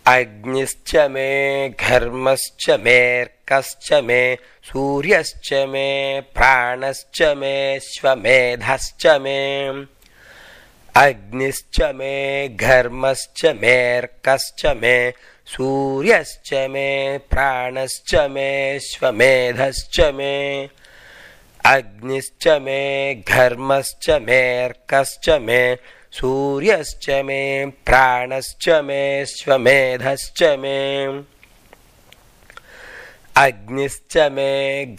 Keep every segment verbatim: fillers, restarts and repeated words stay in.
अग्निश्च मे घर्मश्च मेऽर्कश्च मे सूर्यश्च मे प्राणश्च मे श्वमेधश्च मे अग्निश्च मे घर्मश्च मेऽर्कश्च मे सूर्यश्च मे प्राणश्च मे श्वमेधश्च मे अग्निश्च मे घर्मश्च मेऽर्कश्च मे सूर्यश्च मे प्राणश्च मे श्वमेधश्च मे अग्निश्च मे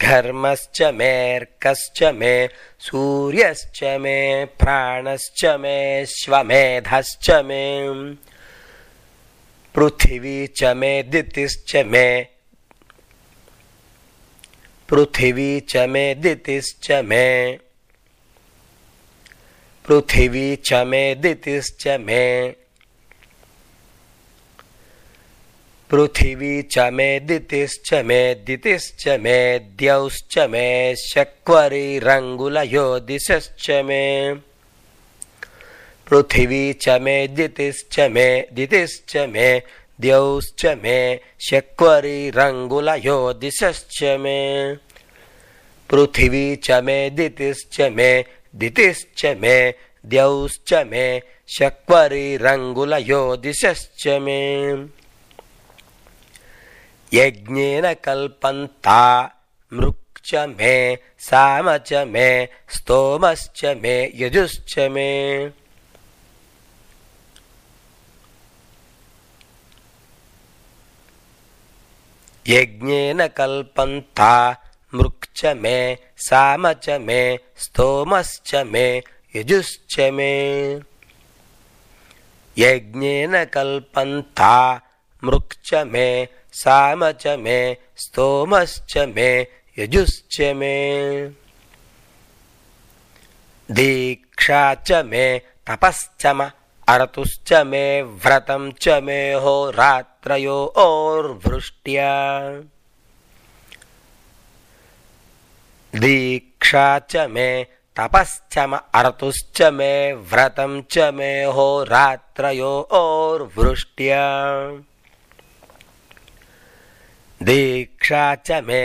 घर्मश्च मेऽर्कश्च मे सूर्यश्च मे प्राणश्च मे श्वमेधश्च मे पृथिवी च मे दितिश्च मे पृथिवी च मे दितिश्च मे पृथिवी च मे दितिश्च मे पृथिवी च मे दितिश्च मे दितिश्च मे द्यौश्च मे शक्वरिरङ्गुलयो दिशश्च मे पृथिवी च मे दितिश्च मे दितिश्च मे द्यौश्च मे शक्वरिरङ्गुलयो दिशश्च मे पृथिवी च मे दितिश्च मे दितिश्च मे द्यौश्च मे शक्वरिरङ्गुलयो दिशश्च मे यज्ञेन कल्पन्ता मृक्च मे साम च मे स्तोमश्च मे यजुश्च मे यज्ञेन कल्पन्ता मृक्च मे साम च मे स्तोमश्च मे यजुश्च मे यज्ञेन कल्पन्ता मृक्च मे साम च मे स्तोमश्च मे यजुश्च मे दीक्षा च मे तपश्च म अर्तुश्च मे व्रतं च मे होरात्रयोर्वृष्ट्या दीक्षा च मे तपश्च म अर्तुश्च मे व्रतं च मे होरात्रयोर्वृष्ट्या दीक्षा च मे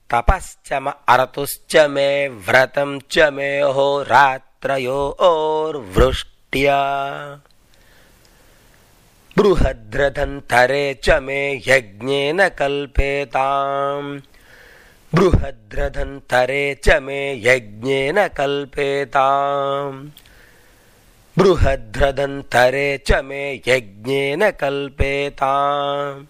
तपश्च म अर्तुश्च मे व्रतं च मे होरात्रयोर्वृष्ट्या बृहद्रथन्तरे च मे यज्ञेन कल्पेताम् बृहद्रथन्तरे च मे यज्ञेन कल्पेताम् बृहद्रथन्तरे च मे यज्ञेन कल्पेताम्